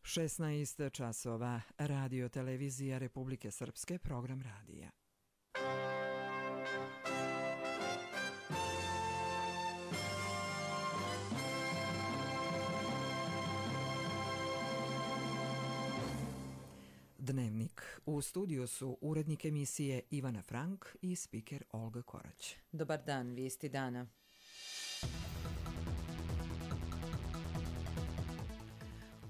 16 časova, Radio televizija Republike Srpske, program radija. Dnevnik. U studiju su urednik emisije Ivana Frank i spiker Olga Korać. Dobar dan, vijesti dana.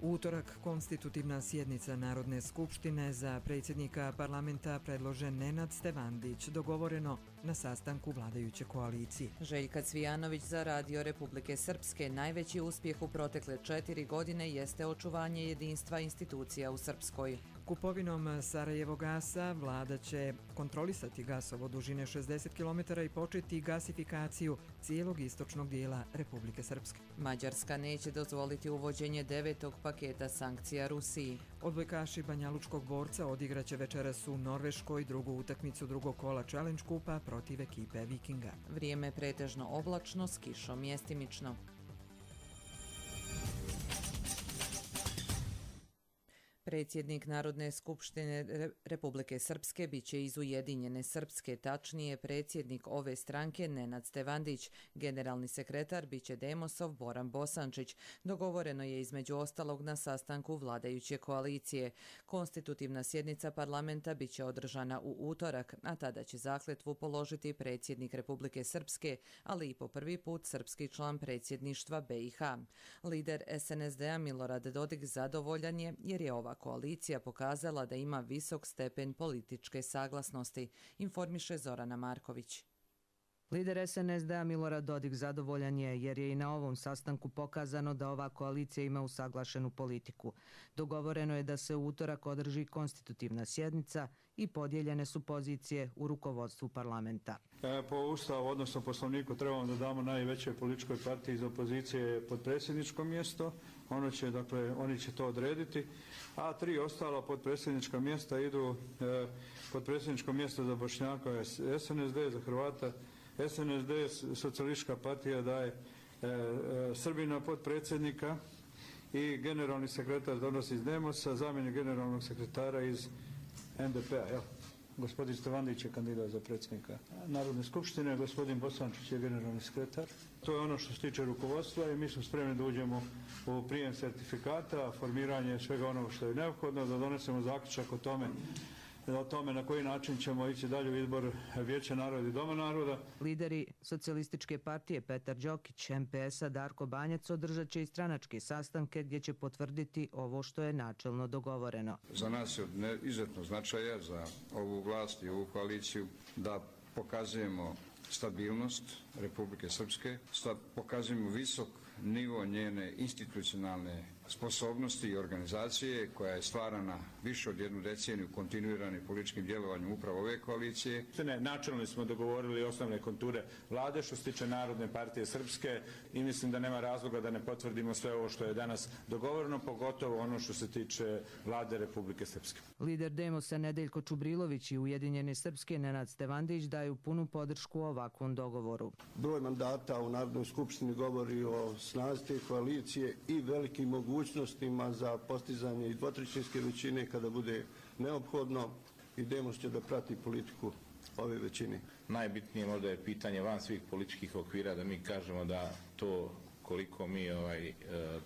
Utorak konstitutivna sjednica Narodne skupštine, za predsjednika parlamenta predložen Nenad Stevandić, dogovoreno na sastanku vladajuće koalicije. Željka Cvijanović za Radio Republike Srpske. Najveći uspjeh u protekle 4 godine jeste očuvanje jedinstva institucija u Srpskoj. Kupovinom Sarajevogasa vlada će kontrolisati gasovod dužine 60 km i početi gasifikaciju cijelog istočnog dijela Republike Srpske. Mađarska neće dozvoliti uvođenje 9. paketa sankcija Rusiji. Odbojkaši banjalučkog borca odigraće večeras u Norveškoj drugu utakmicu drugog kola Challenge kupa protiv ekipe Vikinga. Vrijeme pretežno oblačno s kišom mjestimično. Predsjednik Narodne skupštine Republike Srpske biće iz Ujedinjene Srpske, tačnije predsjednik ove stranke Nenad Stevandić. Generalni sekretar biće Demosov Boran Bosančić. Dogovoreno je između ostalog na sastanku vladajuće koalicije. Konstitutivna sjednica parlamenta biće održana u utorak, a tada će zakletvu položiti predsjednik Republike Srpske, ali i po prvi put srpski član predsjedništva BiH. Lider SNSD-a Milorad Dodik zadovoljan je jer je ova koalicija pokazala da ima visok stepen političke saglasnosti, informiše Zorana Marković. Lider SNSD-a Milorad Dodik zadovoljan je jer je i na ovom sastanku pokazano da ova koalicija ima usaglašenu politiku. Dogovoreno je da se u utorak održi konstitutivna sjednica i podijeljene su pozicije u rukovodstvu parlamenta. Po Ustavu, odnosno Poslovniku, trebamo da damo najvećoj političkoj partiji iz opozicije podpredsjedničko mjesto. Oni će to odrediti, a 3 ostala podpredsjednička mjesta idu podpredsjedničko mjesto za Bošnjaka SNSD, za Hrvata SNSD, Socijalistička partija daje Srbina podpredsjednika i generalni sekretar donosi iz Demosa, zamjenik generalnog sekretara iz NDP-a. Gospodin Stevandić je kandidat za predsjednika Narodne skupštine, gospodin Bosančić je generalni sekretar. To je ono što se tiče rukovodstva i mi smo spremni da uđemo u prijem sertifikata, formiranje svega onoga što je neophodno, da donesemo zaključak o tome na koji način ćemo ići dalje u izbor Vijeća naroda i Doma naroda. Lideri Socijalističke partije Petar Đokić, MPS-a Darko Banjac održat će i stranačke sastanke gdje će potvrditi ovo što je načelno dogovoreno. Za nas je od izuzetnog značaja za ovu vlast i ovu koaliciju da pokazujemo stabilnost Republike Srpske, pokazujemo visok nivo njene institucionalne sposobnosti i organizacije koja je stvarana više od 1 deceniju kontinuiranim političkim djelovanjem upravo ove koalicije. Načelno smo dogovorili osnovne konture vlade što se tiče Narodne partije Srpske i mislim da nema razloga da ne potvrdimo sve ovo što je danas dogovoreno, pogotovo ono što se tiče vlade Republike Srpske. Lider Demosa Nedeljko Čubrilović i Ujedinjene Srpske Nenad Stevandić daju punu podršku ovakvom dogovoru. Broj mandata u Narodnoj skupštini govori o snazi te koalicije i velikim mogućnostima za postizanje i dvotrećinske većine kada bude neophodno, i Demos će da prati politiku ove većine. Najbitnije možda je pitanje van svih političkih okvira da mi kažemo da to koliko mi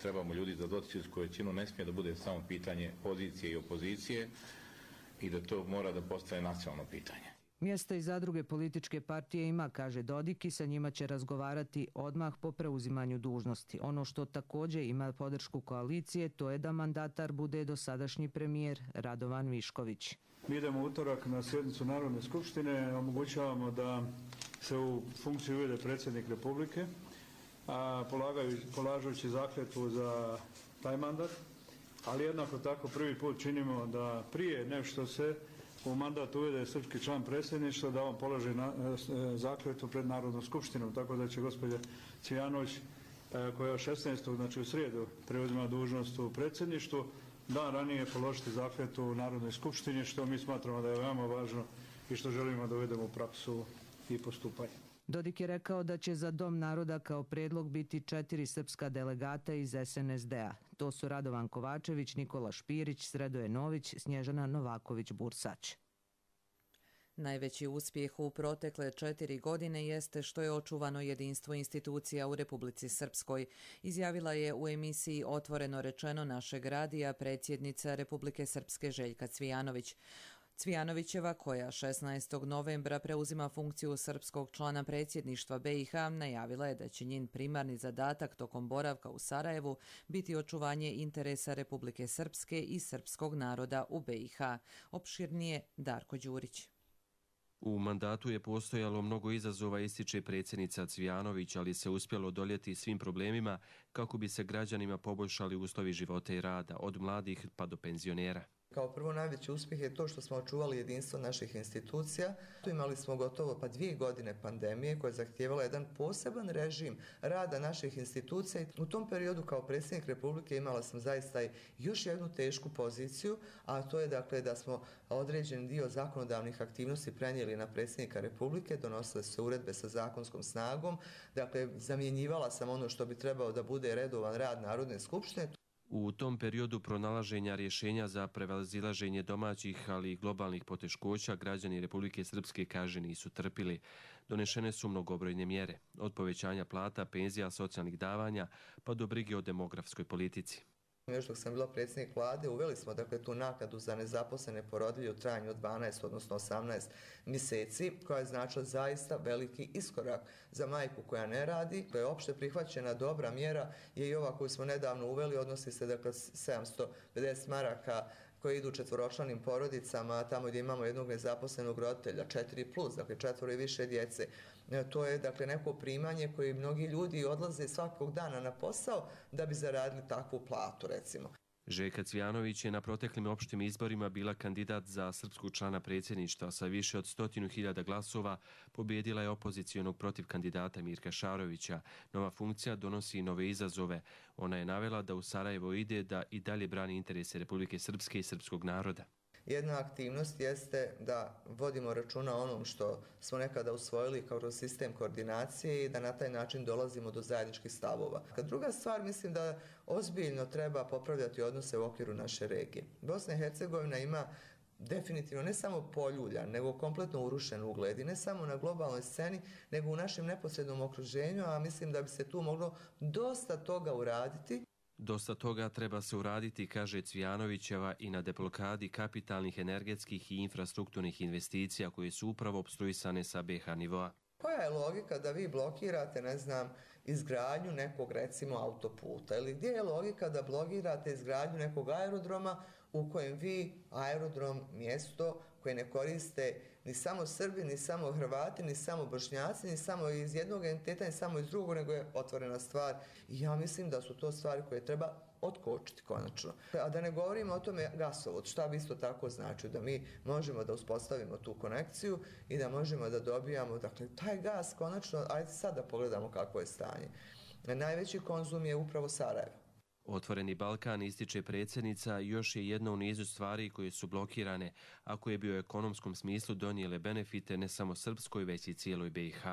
trebamo ljudi za dvotrećinsku većinu ne smije da bude samo pitanje pozicije i opozicije i da to mora da postane nacionalno pitanje. Mjesta i zadruge političke partije ima, kaže Dodik, i sa njima će razgovarati odmah po preuzimanju dužnosti. Ono što također ima podršku koalicije, to je da mandatar bude dosadašnji premijer Radovan Višković. Mi idemo utorak na sjednicu Narodne skupštine, omogućavamo da se u funkciju uvede predsjednik Republike, polažući zakletvu za taj mandat, ali jednako tako prvi put činimo da prije nešto se u mandat uvede srpski član predsjedništva, da on položi zakletvu pred Narodnom skupštinom, tako da će gospođa Cvijanović, koja je 16. znači u srijedu preuzima dužnost u predsjedništvu, dan ranije položiti zakletvu u Narodnoj skupštini, što mi smatramo da je veoma važno i što želimo da uvedemo u praksu i postupanje. Dodik je rekao da će za Dom naroda kao predlog biti 4 srpska delegata iz SNSD-a. To su Radovan Kovačević, Nikola Špirić, Sredoje Nović, Snježana Novaković-Bursać. Najveći uspjeh u protekle 4 godine jeste što je očuvano jedinstvo institucija u Republici Srpskoj, izjavila je u emisiji Otvoreno rečeno našeg radija predsjednica Republike Srpske Željka Cvijanović. Cvijanovićeva, koja 16. novembra preuzima funkciju srpskog člana predsjedništva BiH, najavila je da će njen primarni zadatak tokom boravka u Sarajevu biti očuvanje interesa Republike Srpske i srpskog naroda u BiH. Opširnije Darko Đurić. U mandatu je postojalo mnogo izazova, ističe predsjednica Cvijanović, ali se uspjelo odoljeti svim problemima kako bi se građanima poboljšali uslovi života i rada, od mladih pa do penzionera. Kao prvo najveći uspjeh je to što smo očuvali jedinstvo naših institucija. Tu imali smo gotovo 2 godine pandemije koja je zahtijevala jedan poseban režim rada naših institucija. U tom periodu kao predsjednik Republike imala sam zaista još jednu tešku poziciju, a to je dakle da smo određen dio zakonodavnih aktivnosti prenijeli na predsjednika Republike, donosile se uredbe sa zakonskom snagom, dakle zamjenjivala sam ono što bi trebao da bude redovan rad Narodne skupštine. U tom periodu pronalaženja rješenja za prevazilaženje domaćih, ali i globalnih poteškoća građani Republike Srpske, kaže, nisu trpili. Donešene su mnogobrojne mjere, od povećanja plata, penzija, socijalnih davanja, pa do brige o demografskoj politici. Još dok sam bila predsjednik vlade, uveli smo dakle tu naknadu za nezaposlene porodilje u trajanju od 12, odnosno 18 mjeseci, koja je značila zaista veliki iskorak za majku koja ne radi. To je opšte prihvaćena dobra mjera je i ova koju smo nedavno uveli, odnosi se dakle 750 maraka koje idu četvoročlanim porodicama, tamo gdje imamo jednog nezaposlenog roditelja, 4+, dakle 4 i više djece. To je dakle neko primanje koje mnogi ljudi odlaze svakog dana na posao da bi zaradili takvu platu, recimo. Željka Cvijanović je na proteklim opštim izborima bila kandidat za srpskog člana predsjedništva. Sa više od 100.000 glasova pobjedila je opozicijonog protiv kandidata Mirka Šarovića. Nova funkcija donosi nove izazove. Ona je navela da u Sarajevo ide da i dalje brani interese Republike Srpske i srpskog naroda. Jedna aktivnost jeste da vodimo računa o onom što smo nekada usvojili kao sistem koordinacije i da na taj način dolazimo do zajedničkih stavova. Druga stvar, mislim da ozbiljno treba popravljati odnose u okviru naše regije. Bosna i Hercegovina ima definitivno ne samo poljuljan, nego kompletno urušen ugled i ne samo na globalnoj sceni, nego u našem neposrednom okruženju, a mislim da bi se tu moglo dosta toga uraditi. Dosta toga treba se uraditi, kaže Cvijanovićeva, i na deblokadi kapitalnih, energetskih i infrastrukturnih investicija koje su upravo opstruisane sa BiH nivoa. Koja je logika da vi blokirate, ne znam, izgradnju nekog recimo autoputa ili gdje je logika da blokirate izgradnju nekog aerodroma u kojem vi aerodrom, mjesto koje ne koriste ni samo Srbi, ni samo Hrvati, ni samo Bošnjaci, ni samo iz jednog entiteta, ni samo iz drugog, nego je otvorena stvar. I ja mislim da su to stvari koje treba otkočiti konačno. A da ne govorimo o tome gasovod, šta bi isto tako znači, da mi možemo da uspostavimo tu konekciju i da možemo da dobijamo, dakle, taj gas konačno, ajde sad da pogledamo kako je stanje. Najveći konzum je upravo Sarajevo. Otvoreni Balkan, ističe predsjednica, još je jedna u nizu stvari koje su blokirane, a koje bi u ekonomskom smislu donijele benefite ne samo Srpskoj, već i cijeloj BiH.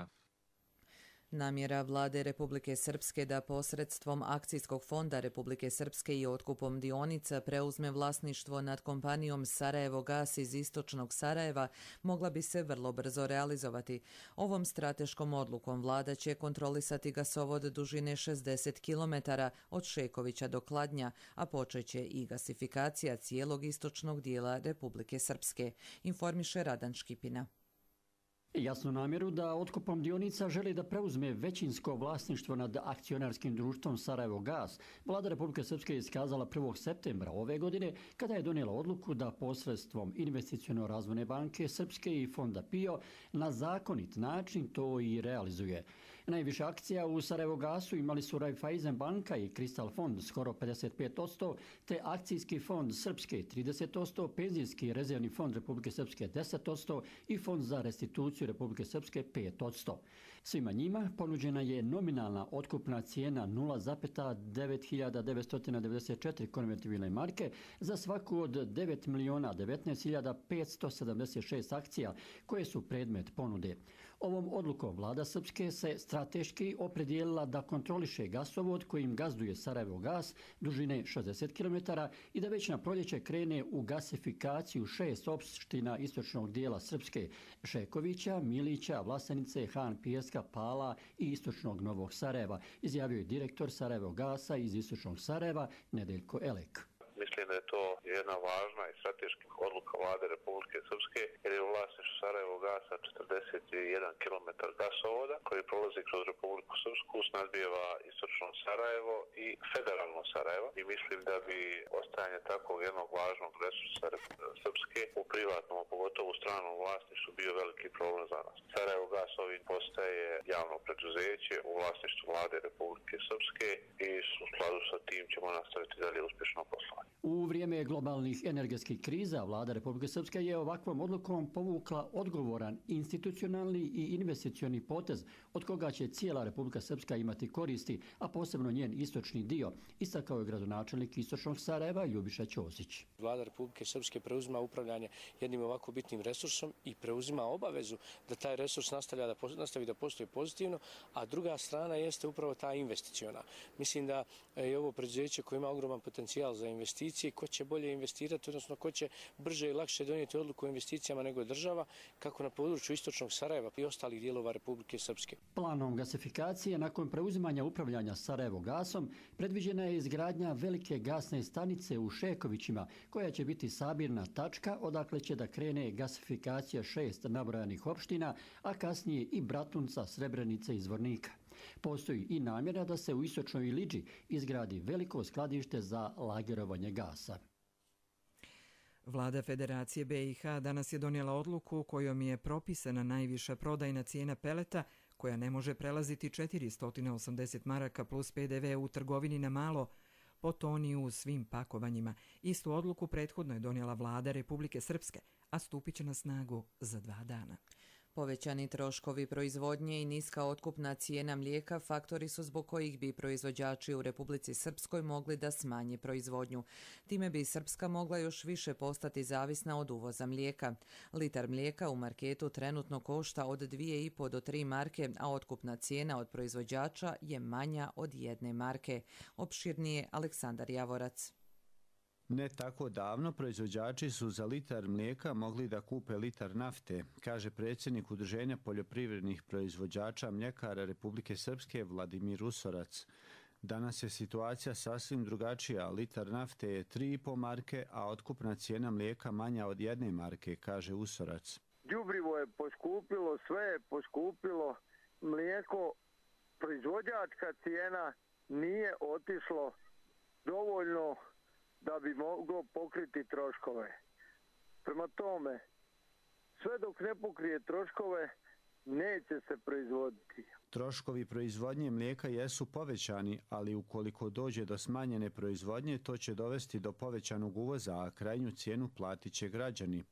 Namjera vlade Republike Srpske da posredstvom Akcijskog fonda Republike Srpske i otkupom dionica preuzme vlasništvo nad kompanijom Sarajevo Gas iz istočnog Sarajeva mogla bi se vrlo brzo realizovati. Ovom strateškom odlukom vlada će kontrolisati gasovod dužine 60 km od Šekovića do Kladnja, a počeće i gasifikacija cijelog istočnog dijela Republike Srpske, informiše Radan Škipina. Jasnu namjeru da otkupom dionica želi da preuzme većinsko vlasništvo nad akcionarskim društvom Sarajevo Gas, vlada Republike Srpske je iskazala 1. septembra ove godine kada je donijela odluku da posredstvom Investiciono-razvojne banke Srpske i fonda PIO na zakonit način to i realizuje. Najviše akcija u Sarajevo Gasu imali su Raiffeisen banka i Kristal fond skoro 55%, te akcijski fond Srpske 30%, penzijski rezervni fond Republike Srpske 10% i fond za restituciju Republike Srpske 5%. Svima njima ponuđena je nominalna otkupna cijena 0,9994 konvertibilne marke za svaku od 9.019.576 akcija koje su predmet ponude. Ovom odlukom vlada Srpske se strateški opredijelila da kontroliše gasovod kojim gazduje Sarajevo gas dužine 60 km i da već na proljeće krene u gasifikaciju 6 opština istočnog dijela Srpske: Šekovića, Milića, Vlasenice, Han Pijeska, Pala i istočnog Novog Sarajeva, izjavio je direktor Sarajevo gasa iz istočnog Sarajeva Nedeljko Elek. Mislim da je to jedna važna i strateška odluka vlade Republike Srpske, jer je u vlasništvu Sarajevo gasa 41 km gasovoda koji prolazi kroz Republiku Srpsku, snadbijeva istočno Sarajevo i federalno Sarajevo. I mislim da bi ostajanje takvog jednog važnog resursa Srpske u privatnom, a pogotovo u stranom vlasništvu bio veliki problem za nas. Sarajevo gas ovim postaje javno preduzeće u vlasništvu vlade Republike Srpske i u skladu sa tim ćemo nastaviti dalje uspješno poslovanje. U vrijeme globalnih energetskih kriza vlada Republike Srpske je ovakvom odlukom povukla odgovoran institucionalni i investicioni potez od koga će cijela Republika Srpska imati koristi, a posebno njen istočni dio, istakao je gradonačelnik istočnog Sarajeva Ljubiša Ćosić. Vlada Republike Srpske preuzima upravljanje jednim ovako bitnim resursom i preuzima obavezu da taj resurs nastavi da postoji pozitivno, a druga strana jeste upravo ta investiciona. Mislim da je ovo preduzeće koje ima ogroman potencijal za investicije, ko će bolje investirati, odnosno ko će brže i lakše donijeti odluku o investicijama nego država, kako na području istočnog Sarajeva i ostalih dijelova Republike Srpske. Planom gasifikacije nakon preuzimanja upravljanja Sarajevo gasom predviđena je izgradnja velike gasne stanice u Šekovićima, koja će biti sabirna tačka odakle će da krene gasifikacija 6 nabrojanih opština, a kasnije i Bratunca, Srebrenice i Zvornika. Postoji i namjera da se u istočnoj Iliđi izgradi veliko skladište za lagerovanje gasa. Vlada Federacije BiH danas je donijela odluku kojom je propisana najviša prodajna cijena peleta koja ne može prelaziti 480 maraka plus PDV u trgovini na malo po toni u svim pakovanjima. Istu odluku prethodno je donijela vlada Republike Srpske, a stupit će na snagu za 2 dana. Povećani troškovi proizvodnje i niska otkupna cijena mlijeka faktori su zbog kojih bi proizvođači u Republici Srpskoj mogli da smanje proizvodnju. Time bi Srpska mogla još više postati zavisna od uvoza mlijeka. Litar mlijeka u marketu trenutno košta od 2,5 do 3 marke, a otkupna cijena od proizvođača je manja od 1 marke. Opširnije Aleksandar Javorac. Ne tako davno proizvođači su za litar mlijeka mogli da kupe litar nafte, kaže predsjednik Udruženja poljoprivrednih proizvođača mljekara Republike Srpske Vladimir Usorac. Danas je situacija sasvim drugačija. Litar nafte je 3,5 marke, a otkupna cijena mlijeka manja od 1 marke, kaže Usorac. Đubrivo je poskupilo, sve je poskupilo, mlijeko, proizvođačka cijena nije otišlo dovoljno da bi moglo pokriti troškove. Prema tome, sve dok ne pokrije troškove, neće se proizvoditi. Troškovi proizvodnje mlijeka jesu povećani, ali ukoliko dođe do smanjene proizvodnje, to će dovesti do povećanog uvoza, a krajnju cijenu platit će građani.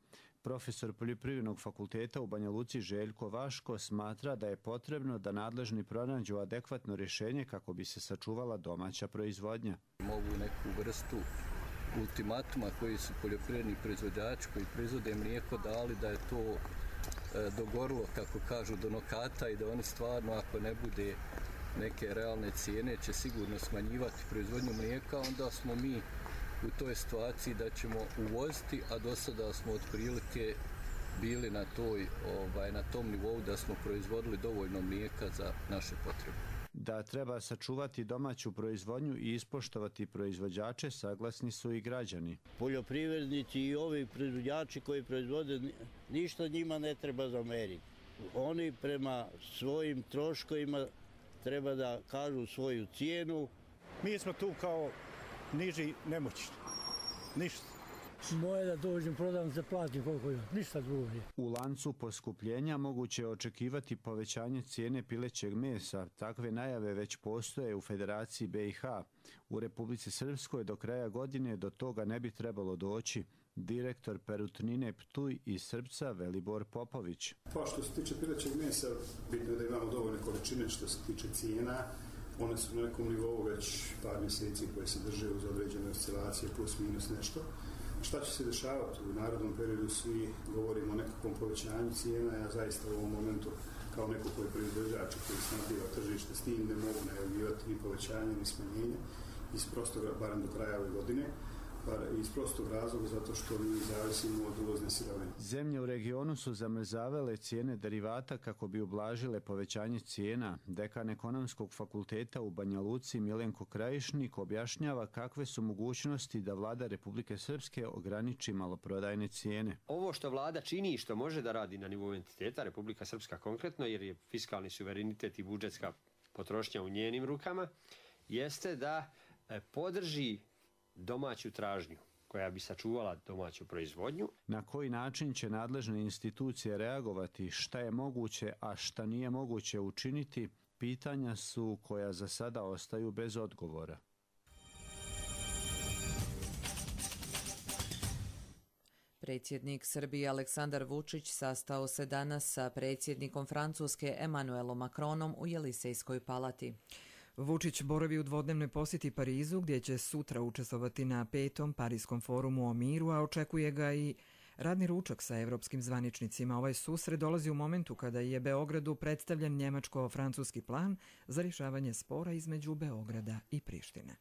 Profesor Poljoprivrednog fakulteta u Banja Luci Željko Vaško smatra da je potrebno da nadležni pronađu adekvatno rješenje kako bi se sačuvala domaća proizvodnja. Mogu neku vrstu ultimatuma koji su poljoprivredni proizvođači koji proizvode mlijeko dali da je to dogorilo, kako kažu, do nokata i da oni stvarno, ako ne bude neke realne cijene, će sigurno smanjivati proizvodnju mlijeka, onda smo mi u toj situaciji da ćemo uvoziti, a do sada smo otprilike bili na tom nivou da smo proizvodili dovoljno mlijeka za naše potrebe. Da treba sačuvati domaću proizvodnju i ispoštovati proizvođače, saglasni su i građani. Poljoprivrednici i ovi proizvođači koji proizvode, ništa njima ne treba zameriti. Oni prema svojim troškovima treba da kažu svoju cijenu. Mi smo tu kao niži nemoćni. Ništa. Moje da dođem, prodam, se platim koliko je. Ništa drugo nije. U lancu poskupljenja moguće je očekivati povećanje cijene pilećeg mesa. Takve najave već postoje u Federaciji BiH. U Republici Srpskoj do kraja godine do toga ne bi trebalo doći. Direktor Perutnine Ptuj iz Srpca Velibor Popović. Pa što se tiče pilećeg mesa, bitno je da imamo dovoljne količine. Što se tiče cijena, one su na nekom nivou već par mjeseci koje se drže uz određene oscilacije plus minus nešto. Šta će se dešavati u narodnom periodu, svi govorimo o nekakvom povećanju cijena, ja zaista u ovom momentu kao neko koji je proizvođač koji snabdijeva tržište, s tim ne mogu najavljivati ni povećanje ni smanjenje iz prostog, barem do kraja ove godine, iz prostog razloga zato što mi zavisimo od uvozne sirovine. Zemlje u regionu su zamrzavale cijene derivata kako bi ublažile povećanje cijena. Dekan Ekonomskog fakulteta u Banja Luci Milenko Krajišnik objašnjava kakve su mogućnosti da vlada Republike Srpske ograniči maloprodajne cijene. Ovo što vlada čini i što može da radi na nivou entiteta, Republika Srpska konkretno, jer je fiskalni suverenitet i budžetska potrošnja u njenim rukama, jeste da podrži domaću tražnju koja bi sačuvala domaću proizvodnju. Na koji način će nadležne institucije reagovati, šta je moguće, a šta nije moguće učiniti, pitanja su koja za sada ostaju bez odgovora. Predsjednik Srbije Aleksandar Vučić sastao se danas sa predsjednikom Francuske Emmanuelom Macronom u Jelisejskoj palati. Vučić boravi u dvodnevnoj posjeti Parizu, gdje će sutra učestvovati na 5. Parijskom forumu o miru, a očekuje ga i radni ručak sa evropskim zvaničnicima. Ovaj susret dolazi u momentu kada je Beogradu predstavljen njemačko-francuski plan za rješavanje spora između Beograda i Prištine.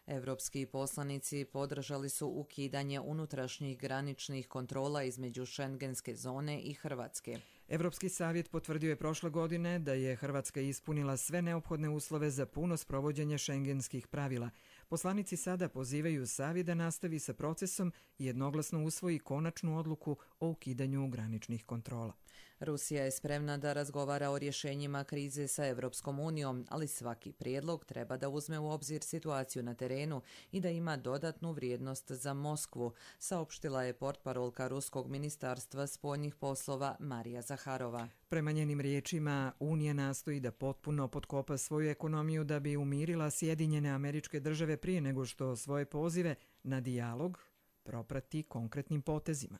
Evropski poslanici podržali su ukidanje unutrašnjih graničnih kontrola između šengenske zone i Hrvatske. Evropski savjet potvrdio je prošle godine da je Hrvatska ispunila sve neophodne uslove za puno sprovođenje šengenskih pravila. Poslanici sada pozivaju savjet da nastavi sa procesom i jednoglasno usvoji konačnu odluku o ukidanju graničnih kontrola. Rusija je spremna da razgovara o rješenjima krize sa Evropskom unijom, ali svaki prijedlog treba da uzme u obzir situaciju na terenu i da ima dodatnu vrijednost za Moskvu, saopštila je portparolka Ruskog ministarstva spoljnih poslova Marija Zaharova. Prema njenim riječima, Unija nastoji da potpuno potkopa svoju ekonomiju da bi umirila Sjedinjene Američke Države prije nego što svoje pozive na dijalog proprati konkretnim potezima.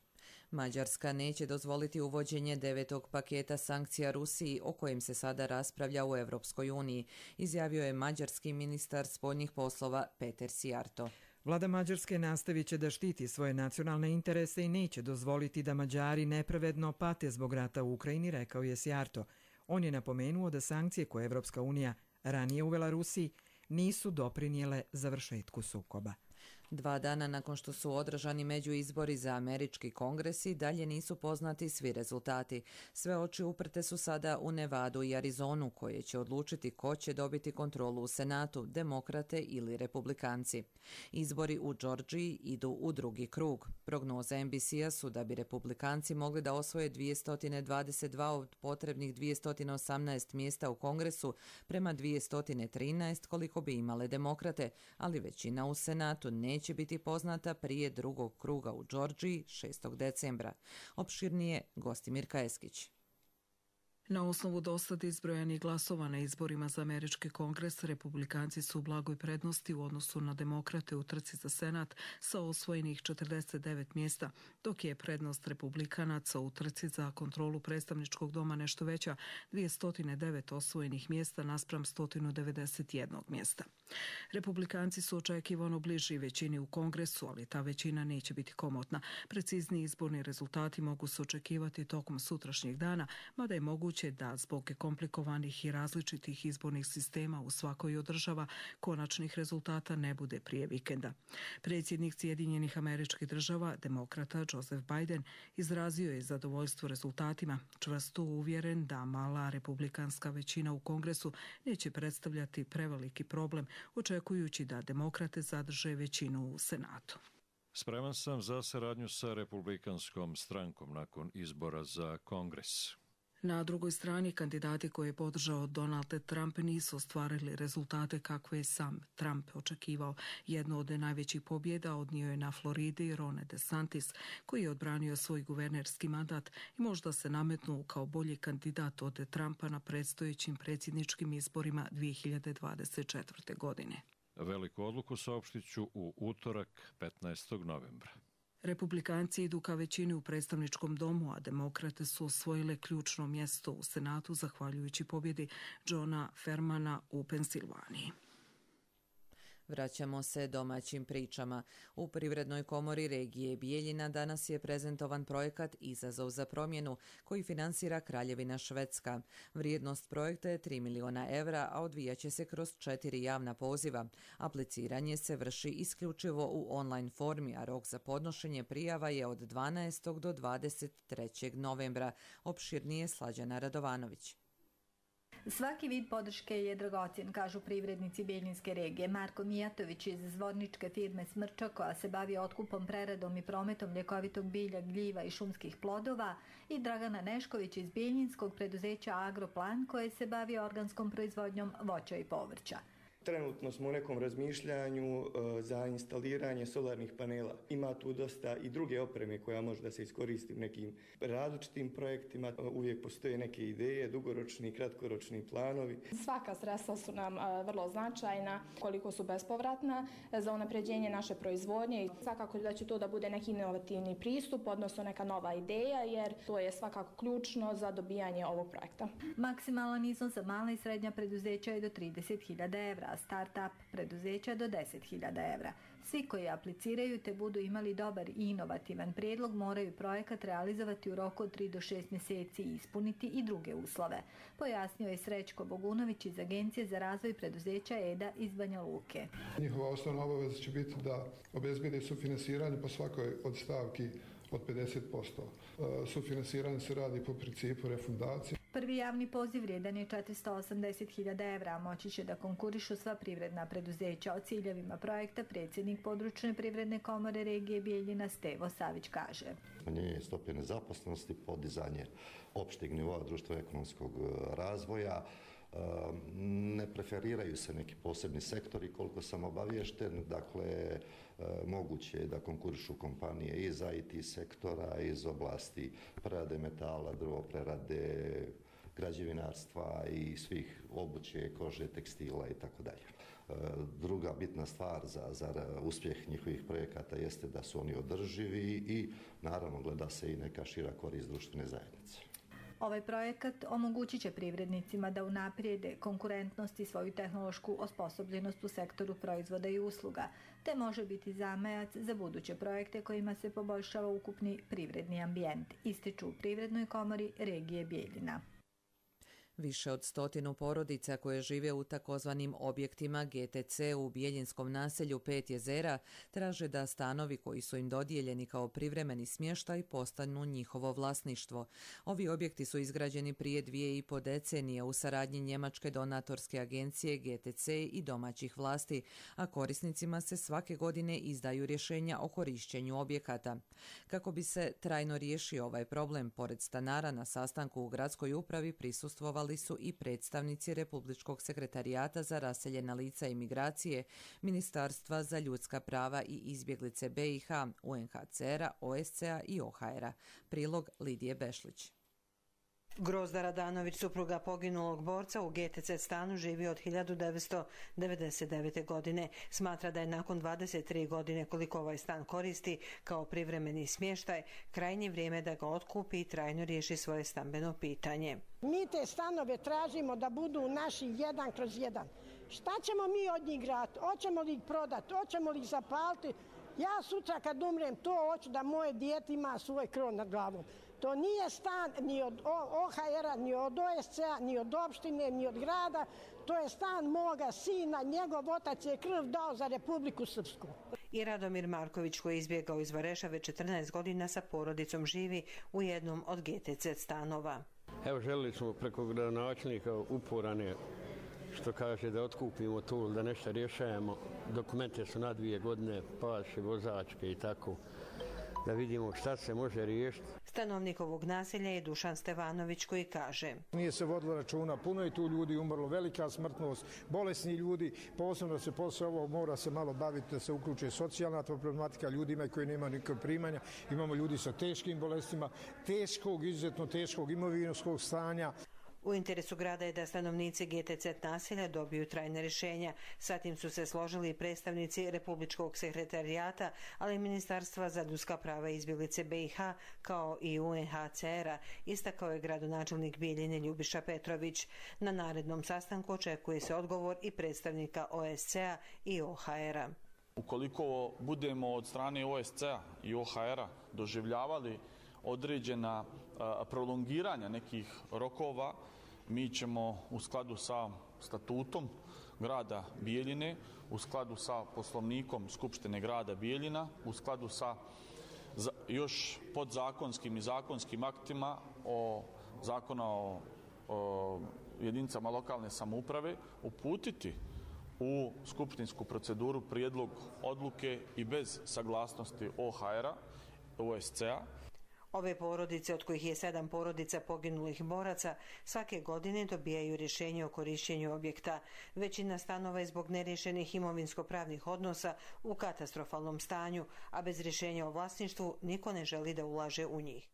Mađarska neće dozvoliti uvođenje 9. paketa sankcija Rusiji o kojem se sada raspravlja u Evropskoj uniji, izjavio je mađarski ministar spoljnih poslova Peter Sijarto. Vlada Mađarske nastavit će da štiti svoje nacionalne interese i neće dozvoliti da Mađari nepravedno pate zbog rata u Ukrajini, rekao je Sijarto. On je napomenuo da sankcije koje Evropska unija ranije uvela Rusiji nisu doprinijele završetku sukoba. 2 dana nakon što su održani međuizbori za američki kongres i dalje nisu poznati svi rezultati. Sve oči uprte su sada u Nevadu i Arizonu, koje će odlučiti ko će dobiti kontrolu u Senatu, demokrate ili republikanci. Izbori u Džordžiji idu u drugi krug. Prognoze NBC-a su da bi republikanci mogli da osvoje 222 od potrebnih 218 mjesta u kongresu prema 213 koliko bi imale demokrate, ali većina u Senatu neće biti poznata prije drugog kruga u Džordžiji 6. decembra. Opširnije Gostimir Kajeskić. Na osnovu dosad izbrojanih glasova na izborima za američki kongres, republikanci su u blagoj prednosti u odnosu na demokrate u trci za senat sa osvojenih 49 mjesta, dok je prednost republikanaca u trci za kontrolu predstavničkog doma nešto veća, 209 osvojenih mjesta naspram 191 mjesta. Republikanci su očekivano bliži većini u kongresu, ali ta većina neće biti komotna. Precizni izborni rezultati mogu se očekivati tokom sutrašnjeg dana, mada je moguće da zbog komplikovanih i različitih izbornih sistema u svakoj od država konačnih rezultata ne bude prije vikenda. Predsjednik Sjedinjenih Američkih Država, demokrata Joseph Biden, izrazio je zadovoljstvo rezultatima, čvrsto uvjeren da mala republikanska većina u kongresu neće predstavljati preveliki problem, očekujući da demokrate zadrže većinu u Senatu. Spreman sam za saradnju sa republikanskom strankom nakon izbora za kongres. Na drugoj strani, kandidati koje je podržao Donald Trump nisu ostvarili rezultate kakve je sam Trump očekivao. Jedno od najvećih pobjeda odnio je na Floridi Ron DeSantis, koji je odbranio svoj guvernerski mandat i možda se nametnuo kao bolji kandidat od Trumpa na predstojećim predsjedničkim izborima 2024. godine. Veliku odluku saopštit ću u utorak 15. novembra. Republikanci idu ka većini u predstavničkom domu, a demokrate su osvojile ključno mjesto u Senatu zahvaljujući pobjedi Johna Fermana u Pensilvaniji. Vraćamo se domaćim pričama. U Privrednoj komori regije Bijeljina danas je prezentovan projekat Izazov za promjenu koji finansira Kraljevina Švedska. Vrijednost projekta je 3 miliona evra, a odvijaće se kroz 4 javna poziva. Apliciranje se vrši isključivo u online formi, a rok za podnošenje prijava je od 12. do 23. novembra. Opširnije Slađana Radovanović. Svaki vid podrške je dragocjen, kažu privrednici Bijeljinske regije. Marko Mijatović iz zvorničke firme Smrča, koja se bavi otkupom, preradom i prometom ljekovitog bilja, gljiva i šumskih plodova, i Dragana Nešković iz bijeljinskog preduzeća Agroplan, koje se bavi organskom proizvodnjom voća i povrća. Trenutno smo u nekom razmišljanju za instaliranje solarnih panela. Ima tu dosta i druge opreme koja može da se iskoristi u nekim različitim projektima. Uvijek postoje neke ideje, dugoročni i kratkoročni planovi. Svaka sredstva su nam vrlo značajna, koliko su bespovratna za unapređenje naše proizvodnje. Svakako da će to da bude neki inovativni pristup, odnosno neka nova ideja, jer to je svakako ključno za dobijanje ovog projekta. Maksimalan iznos za mala i srednja preduzeća je do 30.000 evra, a start-up preduzeća do 10.000 evra. Svi koji apliciraju te budu imali dobar i inovativan prijedlog moraju projekat realizovati u roku od 3 do 6 mjeseci i ispuniti i druge uslove, pojasnio je Srećko Bogunović iz Agencije za razvoj preduzeća EDA iz Banja Luke. Njihova osnovna obaveza će biti da obezbede sufinansiranje po svakoj od stavki od 50%. Sufinansiranje se radi po principu refundacije. Prvi javni poziv vrijedan je 480.000 evra, a moći će da konkurišu sva privredna preduzeća. O ciljevima projekta predsjednik područne privredne komore regije Bijeljina Stevo Savić kaže. Smanjenje stope nezaposlenosti, podizanje opšteg nivoa društveno-ekonomskog razvoja, ne preferiraju se neki posebni sektori koliko sam obaviješten, dakle moguće je da konkurišu kompanije iz IT sektora, iz oblasti prerade metala, drvoprerade, građevinarstva i svih obuće, kože, tekstila i tako dalje. Druga bitna stvar za uspjeh njihovih projekata jeste da su oni održivi i naravno gleda se i neka šira korist društvene zajednice. Ovaj projekat omogućit će privrednicima da unaprijede konkurentnost i svoju tehnološku osposobljenost u sektoru proizvoda i usluga, te može biti zamajac za buduće projekte kojima se poboljšava ukupni privredni ambijent, ističu u Privrednoj komori regije Bijeljina. Više od 100 porodica koje žive u takozvanim objektima GTC u Bijeljinskom naselju Pet jezera traže da stanovi koji su im dodijeljeni kao privremeni smještaj postanu njihovo vlasništvo. Ovi objekti su izgrađeni prije 2,5 decenije u saradnji njemačke donatorske agencije GTC i domaćih vlasti, a korisnicima se svake godine izdaju rješenja o korišćenju objekata. Kako bi se trajno riješio ovaj problem, pored stanara na sastanku u gradskoj upravi prisustvovali su i predstavnici Republičkog sekretarijata za raseljena lica i migracije, Ministarstva za ljudska prava i izbjeglice BiH, UNHCR-a, OSCE-a i OHR-a. Prilog Lidije Bešlić. Grozda Radanović, supruga poginulog borca, u GTC stanu živi od 1999. godine. Smatra da je nakon 23 godine koliko ovaj stan koristi kao privremeni smještaj, krajnje vrijeme da ga otkupi i trajno riješi svoje stambeno pitanje. Mi te stanove tražimo da budu naši 1/1. Šta ćemo mi od njih graditi? Hoćemo li ih prodati? Hoćemo li ih zapaliti? Ja sutra kad umrem to hoću da moje dijete ima svoj krov nad glavom. To nije stan ni od OHR-a, ni od OSCE-a, ni od opštine, ni od grada. To je stan moga sina, njegov otac je krv dao za Republiku Srpsku. I Radomir Marković, koji je izbjegao iz Vareša već 14 godina, sa porodicom živi u jednom od GTC stanova. Evo, želili smo preko gradonačelnika uporane, što kaže, da otkupimo to, da nešto rješajemo. Dokumente su na 2 godine, paše, vozačke i tako, da vidimo šta se može riješiti. Stanovnik ovog naselja je Dušan Stevanović, koji kaže: Nije se vodilo računa, puno je tu ljudi umrlo, velika smrtnost, bolesni ljudi, posebno se posle ovog mora se malo baviti da se uključe socijalna problematika, ljudima koji nemaju nikakve primanja, imamo ljudi sa teškim bolestima, izuzetno teškog imovinskog stanja. U interesu grada je da stanovnici GTZ naselja dobiju trajne rješenja. Sa tim su se složili i predstavnici Republičkog sekretarijata, ali i Ministarstva za ljudska prava i izbjeglice BiH, kao i UNHCR-a, istakao je gradonačelnik Bijeljine Ljubiša Petrović. Na narednom sastanku očekuje se odgovor i predstavnika OSCE-a i OHR-a. Ukoliko budemo od strane OSCE-a i OHR-a doživljavali određena prolongiranja nekih rokova, mi ćemo u skladu sa statutom grada Bijeljine, u skladu sa poslovnikom Skupštine grada Bijeljina, u skladu sa još podzakonskim i zakonskim aktima zakona o jedinicama lokalne samouprave uputiti u skupštinsku proceduru prijedlog odluke i bez saglasnosti OHR-a, OSCE-a. Ove porodice, od kojih je 7 porodica poginulih boraca, svake godine dobijaju rješenje o korištenju objekta. Većina stanova je zbog neriješenih imovinsko-pravnih odnosa u katastrofalnom stanju, a bez rješenja o vlasništvu niko ne želi da ulaže u njih.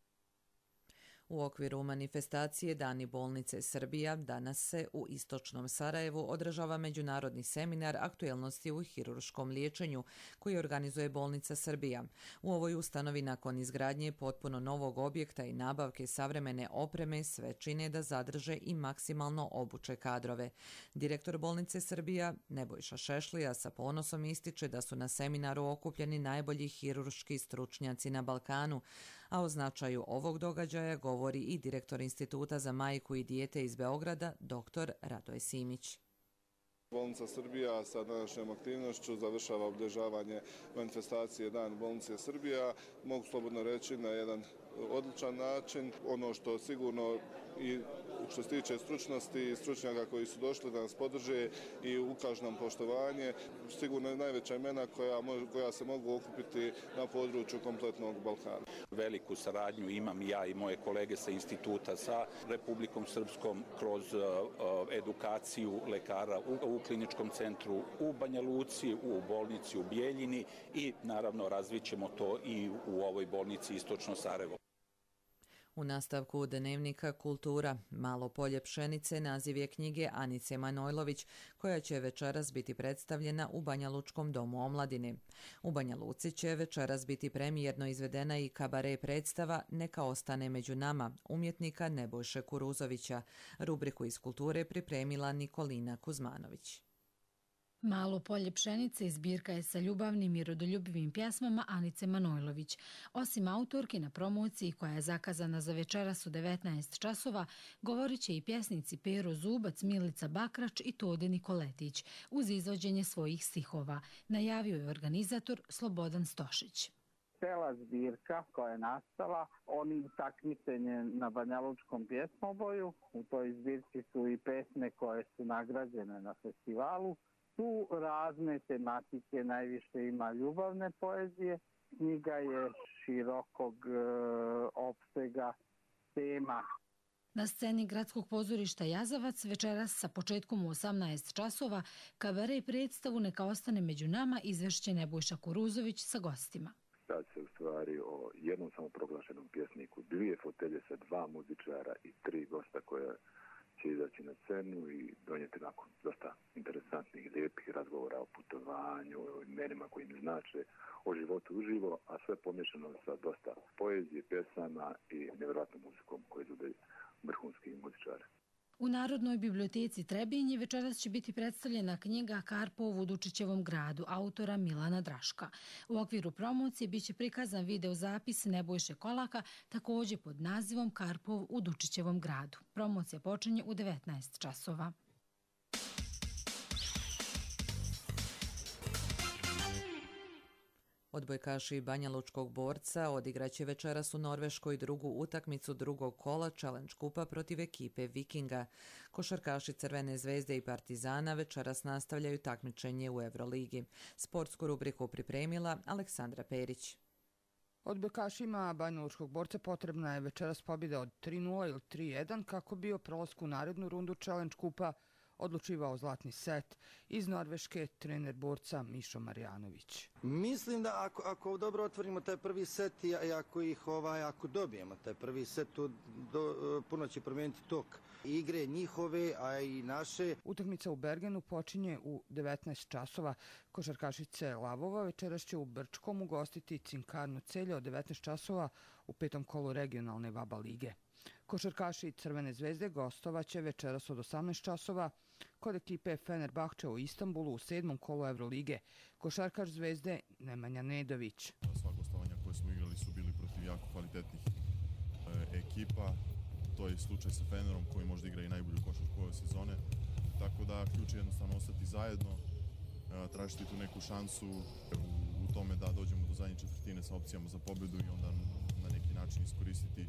U okviru manifestacije Dani bolnice Srbija danas se u istočnom Sarajevu održava međunarodni seminar aktuelnosti u hirurškom liječenju koji organizuje bolnica Srbija. U ovoj ustanovi nakon izgradnje potpuno novog objekta i nabavke savremene opreme sve čine da zadrže i maksimalno obuče kadrove. Direktor bolnice Srbija Nebojša Šešlija sa ponosom ističe da su na seminaru okupljeni najbolji hirurški stručnjaci na Balkanu, a o značaju ovog događaja govori i direktor Instituta za majku i dijete iz Beograda, dr. Radoje Simić. Bolnica Srbija sa današnjom aktivnošću završava obilježavanje manifestacije Dan bolnice Srbija. Mogu slobodno reći na jedan odličan način. Ono što sigurno i što se tiče stručnosti i stručnjaka koji su došli da nas podrže i ukažu nam poštovanje, sigurno je najveća imena koja se mogu okupiti na području kompletnog Balkana. Veliku saradnju imam ja i moje kolege sa instituta sa Republikom Srpskom kroz edukaciju lekara u kliničkom centru u Banja Luci, u bolnici u Bijeljini i naravno razvićemo to i u ovoj bolnici Istočno Sarajevo. U nastavku dnevnika Kultura, Malo polje pšenice, naziv je knjige Anice Manojlović, koja će večeras biti predstavljena u Banjalučkom domu omladine. U Banja Luci će večeras biti premijerno izvedena i kabare predstava Neka ostane među nama, umjetnika Nebojše Kuruzovića. Rubriku iz kulture pripremila Nikolina Kuzmanović. Malo polje pšenice zbirka je sa ljubavnim i rodoljubivim pjesmama Anice Manojlović. Osim autorki na promociji koja je zakazana za večeras u 19 časova, govorit će i pjesnici Pero Zubac, Milica Bakrač i Tode Nikoletić uz izvođenje svojih stihova, najavio je organizator Slobodan Stošić. Cela zbirka koja je nastala, oni takmičenje na Banjalučkom pjesmoboju, u toj zbirci su i pesme koje su nagrađene na festivalu. Tu razne tematike, najviše ima ljubavne poezije, knjiga je širokog opsega tema. Na sceni Gradskog pozorišta Jazavac večeras sa početkom u 18 časova kabare i predstavu Neka ostane među nama izvešće Nebojša Kuruzović sa gostima. Radi se u stvari o jednom samoproglašenom pjesniku, 2 fotelje sa 2 muzičara i 3 gosta koja će izaći na scenu i donijeti nakon dosta interesantnih, lijepih razgovora o putovanju, o imenima koji im znače, o životu uživo, a sve pomješano sa dosta poezije, pjesama i nevjerojatnom muzikom koji izvode vrhunski muzičari. U Narodnoj biblioteci Trebinje večeras će biti predstavljena knjiga Karpov u Dučićevom gradu, autora Milana Draška. U okviru promocije biće prikazan video zapis Nebojše Kolaka, također pod nazivom Karpov u Dučićevom gradu. Promocija počinje u 19 časova. Odbojkaši Banjalučkog borca odigraće večeras u Norveškoj drugu utakmicu drugog kola Challenge kupa protiv ekipe Vikinga. Košarkaši Crvene zvezde i Partizana večeras nastavljaju takmičenje u Euroligi. Sportsku rubriku pripremila Aleksandra Perić. Odbojkašima Banjalučkog borca potrebna je večeras pobjeda od 3-0 ili 3-1 kako bi o prolasku u narednu rundu Challenge kupa odlučivao zlatni set. Iz Norveške trener borca Mišo Marjanović. Mislim da ako dobro otvorimo taj prvi set i ako dobijemo taj prvi set, puno će promijeniti tok igre njihove, a i naše. Utakmica u Bergenu počinje u 19 časova. Košarkašice Lavova večeras će u Brčkom ugostiti Cinkarno Celje od 19 časova u 5. kolu regionalne VABA lige. Košarkaši Crvene zvezde gostovaće večeras od 18 časova kod ekipe Fenerbahče u Istanbulu u 7. kolu Evrolige. Košarkaš Zvezde Nemanja Nedović. Sva gostovanja koje smo igrali su bili protiv jako kvalitetnih ekipa. To je slučaj sa Fenerom koji možda igra i najbolju košarku ove sezone. Tako da ključ je jednostavno ostati zajedno, tražiti tu neku šansu u tome da dođemo do zadnje četvrtine sa opcijama za pobjedu i onda na neki način iskoristiti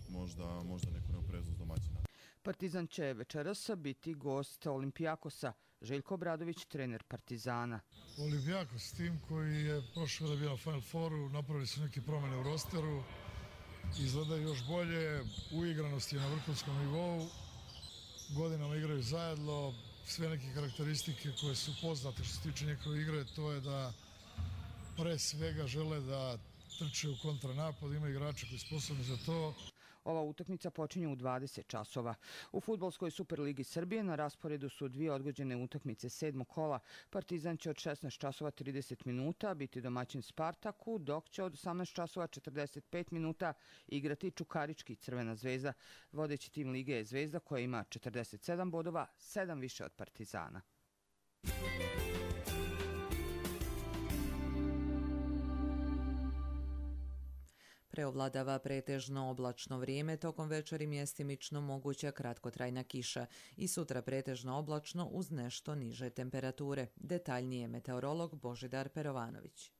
možda neku neopreznost domaćina. Partizan će večeras biti gost Olimpijakosa. Željko Obradović, trener Partizana. Olimpijakos, tim koji je prošle da bio na Final Fouru, napravili su neke promjene u rosteru, izgleda još bolje, uigranost je na vrhunskom nivou, godinama igraju zajedno, sve neke karakteristike koje su poznate što se tiče njegove igre, to je da pre svega žele da trče u kontranapad, ima igrače koji su sposobni za to. Ova utakmica počinje u 20 časova. U fudbalskoj Superligi Srbije na rasporedu su 2 odgođene utakmice 7. kola. Partizan će od 16 časova 30 minuta biti domaćin Spartaku, dok će od 18 časova 45 minuta igrati Čukarički Crvena zvezda. Vodeći tim lige je Zvezda koja ima 47 bodova, 7 više od Partizana. Preovladava pretežno oblačno vrijeme, tokom večeri mjestimično moguća kratkotrajna kiša i sutra pretežno oblačno uz nešto niže temperature. Detaljnije meteorolog Božidar Perovanović.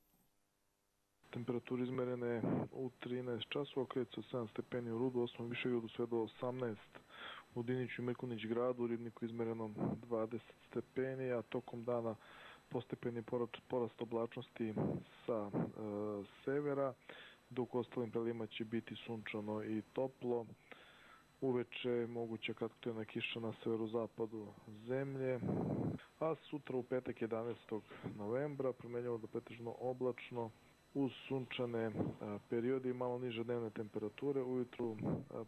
Temperature izmerene u 13 časova, kreću 7 stepeni u Rudu, 8 Višegradu sve do 18 u Diniću i Mrkunić gradu, u Ribniku izmereno 20 stepeni, a tokom dana postepeni porast oblačnosti sa severa, dok u ostalim prelima će biti sunčano i toplo. Uveče moguća kratkotrajna kiša na severozapadu zemlje, a sutra u petak 11. novembra promenjivo do pretežno oblačno uz sunčane periode i malo niže dnevne temperature. Ujutru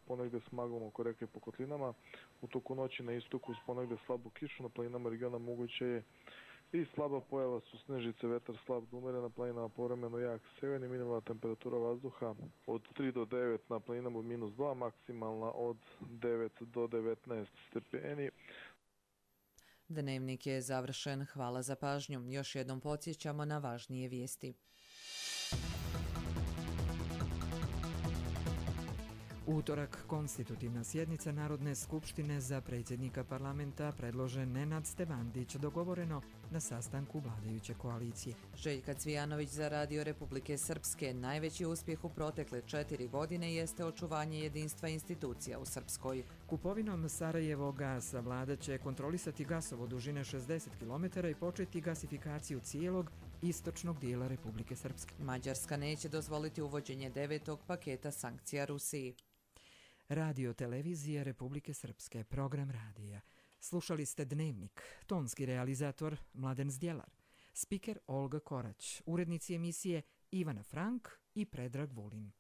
ponegde s maglom oko reke po kotlinama, u toku noći na istoku uz ponegde slabu kišu, na planinama regiona moguće je i slaba pojava su snežice, vetar slab do umeren, na planinama povremeno jak severni, minimalna temperatura vazduha od 3 do 9, na planinama od -2, maksimalna od 9 do 19 stepeni. Dnevnik je završen. Hvala za pažnju. Još jednom podsjećamo na važnije vijesti. Utorak, konstitutivna sjednica Narodne skupštine, za predsjednika parlamenta predložen Nenad Stevandić, dogovoreno na sastanku vladajuće koalicije. Željka Cvijanović za Radio Republike Srpske. Najveći uspjeh u protekle 4 godine jeste očuvanje jedinstva institucija u Srpskoj. Kupovinom Sarajevo gasa vlada će kontrolisati gasovod dužine 60 km i početi gasifikaciju cijelog istočnog dijela Republike Srpske. Mađarska neće dozvoliti uvođenje 9. paketa sankcija Rusiji. Radio televizije Republike Srpske, program radija. Slušali ste Dnevnik, tonski realizator Mladen Zdjelar, spiker Olga Korać, urednici emisije Ivana Frank i Predrag Vulin.